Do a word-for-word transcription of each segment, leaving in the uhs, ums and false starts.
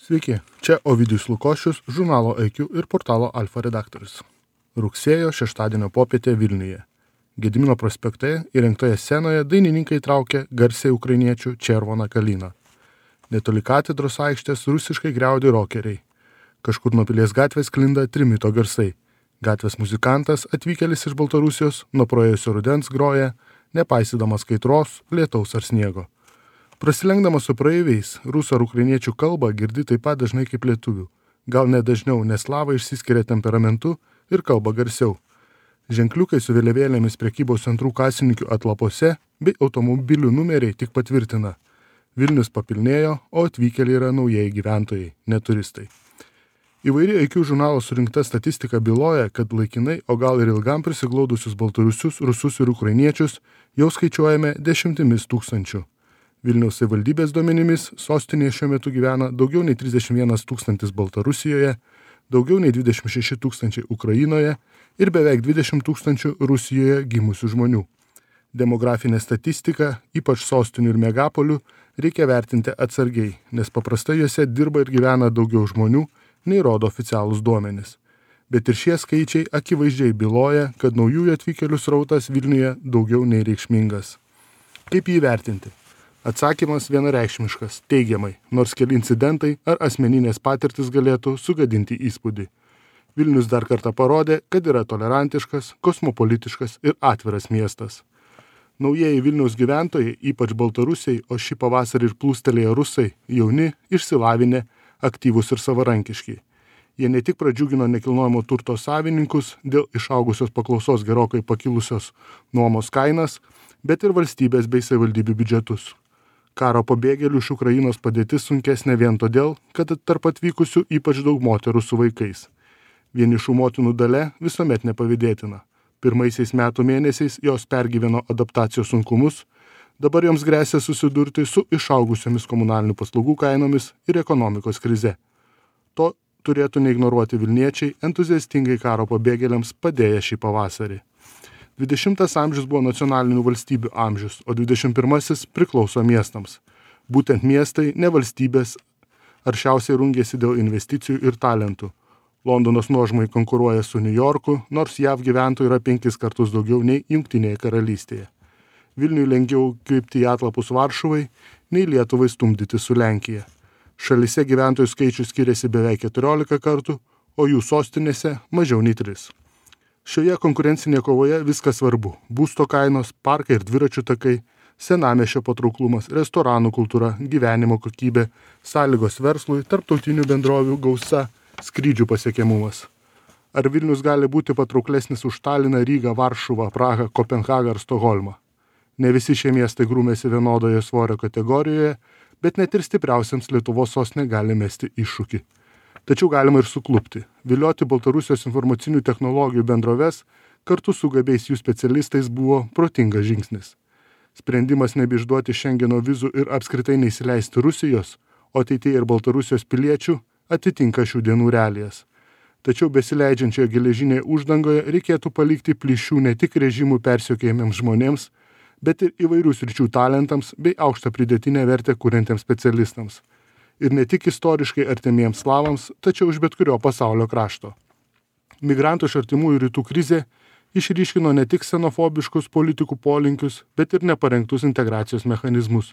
Sveiki, čia Ovidijus Lukošius, žurnalo I Q ir portalo Alfa redaktorius. Rugsėjo šeštadienio popietė Vilniuje. Gedimino prospekte įrengtoje scenoje dainininkai traukė garsiai ukrainiečių Červoną Kaliną. Netoli katedros aikštės rusiškai griaudi rokeriai. Kažkur nuo Pilies gatvės sklinda trimito garsai. Gatvės muzikantas, atvykėlis iš Baltarusijos, nuo praėjusio rudens groja, nepaisydamas kaitros, lietaus ar sniego. Prasilenkdamas su praeiviais, rusų ar ukrainiečių kalbą girdi taip pat dažnai kaip lietuvių. Gal ne dažniau, nes slavai išsiskiria temperamentu ir kalba garsiau. Ženkliukai su vėliavėlėmis prekybos centrų kasininkių atlapose bei automobilių numeriai tik patvirtina. Vilnius papilnėjo, o atvykėliai yra naujieji gyventojai, ne turistai. Įvairi I Q žurnalo surinkta statistika byloja, kad laikinai, o gal ir ilgam prisiglaudusius baltarusius, rusus ir ukrainiečius jau skaičiuojame dešimtimis tūkstančių. Vilniaus savivaldybės duomenimis sostinėje šiuo metu gyvena daugiau nei trisdešimt vienas tūkstantis Baltarusijoje, daugiau nei dvidešimt šeši tūkstančiai Ukrainoje ir beveik dvidešimt tūkstančių Rusijoje gimusių žmonių. Demografinė statistika, ypač sostinių ir megapolių, reikia vertinti atsargiai, nes paprastai juose dirba ir gyvena daugiau žmonių, nei rodo oficialūs duomenys. Bet ir šie skaičiai akivaizdžiai byloja, kad naujųjų atvykėlių srautas Vilniuje daugiau nei reikšmingas. Kaip jį vertinti? Atsakymas vienareikšmiškas, teigiamai, nors keli incidentai ar asmeninės patirtis galėtų sugadinti įspūdį. Vilnius dar kartą parodė, kad yra tolerantiškas, kosmopolitiškas ir atviras miestas. Naujieji Vilniaus gyventojai, ypač baltarusiai, o šį pavasarį ir plūstelėję rusai, jauni, išsilavinę, aktyvūs ir savarankiški. Jie ne tik pradžiugino nekilnojamo turto savininkus dėl išaugusios paklausos gerokai pakilusios nuomos kainas, bet ir valstybės bei savivaldybių biudžetus. Karo pabėgėlių iš Ukrainos padėtis sunkesnė vien todėl, kad tarp atvykusių ypač daug moterų su vaikais. Vienišų motinų dalia visuomet nepavydėtina. Pirmaisiais metų mėnesiais jos pergyveno adaptacijos sunkumus, dabar joms gresia susidurti su išaugusiomis komunalinių paslaugų kainomis ir ekonomikos krize. To turėtų neignoruoti Vilniečiai, entuziastingai karo pabėgėliams padėję šį pavasarį. dvidešimtas amžius buvo nacionalinių valstybių amžius, o dvidešimt pirmasis priklauso miestams. Būtent miestai, ne valstybės, aršiausiai rungėsi dėl investicijų ir talentų. Londonas nuožmai konkuruoja su New Yorku, nors J A V gyventojų yra penkis kartus daugiau nei Jungtinėje karalystėje. Vilniui lengviau krypti į atlapus Varšuvai, nei Lietuvai stumdyti su Lenkija. Šalyse gyventojų skaičius skiriasi beveik keturiolika kartų, o jų sostinėse mažiau nei tris. Šioje konkurencinėje kovoje viskas svarbu – būsto kainos, parkai ir dviračių takai, senamiesčio patrauklumas, restoranų kultūra, gyvenimo kokybė, sąlygos verslui, tarptautinių bendrovių gausa, skrydžių pasiekiamumas. Ar Vilnius gali būti patrauklesnis už Taliną, Rygą, Varšuvą, Prahą, Kopenhagą ar Stokholmą? Ne visi šie miestai grūmėsi vienodoje svorio kategorijoje, bet net ir stipriausiams Lietuvos sostinė gali mesti iššūkį. Tačiau galima ir suklupti. Vilioti Baltarusijos informacinių technologijų bendroves kartu su gabiais jų specialistais buvo protingas žingsnis. Sprendimas nebeišduoti Šengeno vizų ir apskritai neįsileisti Rusijos, o ateityje ir Baltarusijos piliečių atitinka šių dienų realijas. Tačiau besileidžiančioje geležinėje uždangoje reikėtų palikti plyšių ne tik režimų persekiojamiems žmonėms, bet ir įvairių sričių talentams bei aukštą pridėtinę vertę kuriantiems specialistams. Ir ne tik istoriškai artimiems slavams, tačiau iš bet kurio pasaulio krašto. Migrantų iš artimųjų rytų krizė išryškino ne tik xenofobiškus politikų polinkius, bet ir neparengtus integracijos mechanizmus.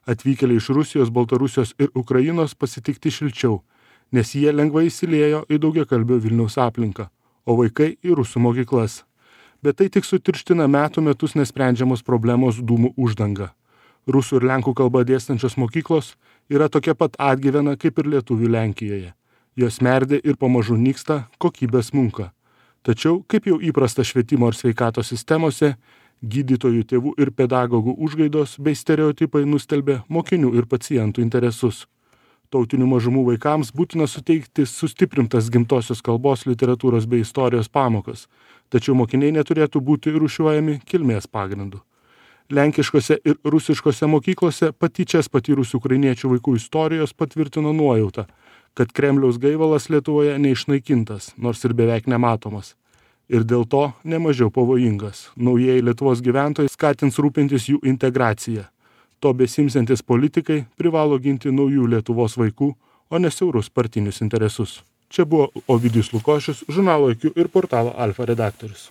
Atvykėliai iš Rusijos, Baltarusijos ir Ukrainos pasitikti šilčiau, nes jie lengvai įsiliejo į daugiakalbio Vilniaus aplinką, o vaikai į rusų mokyklas. Bet tai tik sutirština metų metus nesprendžiamos problemos dūmų uždanga. Rusų ir lenkų kalba dėstančios mokyklos yra tokia pat atgyvena kaip ir lietuvių Lenkijoje. Jos merdė ir pamažu nyksta, kokybė smunka. Tačiau, kaip jau įprasta švietimo ir sveikatos sistemose, gydytojų, tėvų ir pedagogų užgaidos bei stereotipai nustelbė mokinių ir pacientų interesus. Tautinių mažumų vaikams būtina suteikti sustiprintas gimtosios kalbos, literatūros bei istorijos pamokas, tačiau mokiniai neturėtų būti rūšiuojami kilmės pagrindu. Lenkiškose ir rusiškose mokyklose patyčias patyrusių ukrainiečių vaikų istorijos patvirtino nuojautą, kad Kremliaus gaivalas Lietuvoje neišnaikintas, nors ir beveik nematomas. Ir dėl to nemažiau pavojingas. Naujieji Lietuvos gyventojai skatins rūpintis jų integraciją. To besimsiantis politikai privalo ginti naujų Lietuvos vaikų, o ne siaurus partinius interesus. Čia buvo Ovidijus Lukošius, žurnalo I Q ir portalo Alfa redaktorius.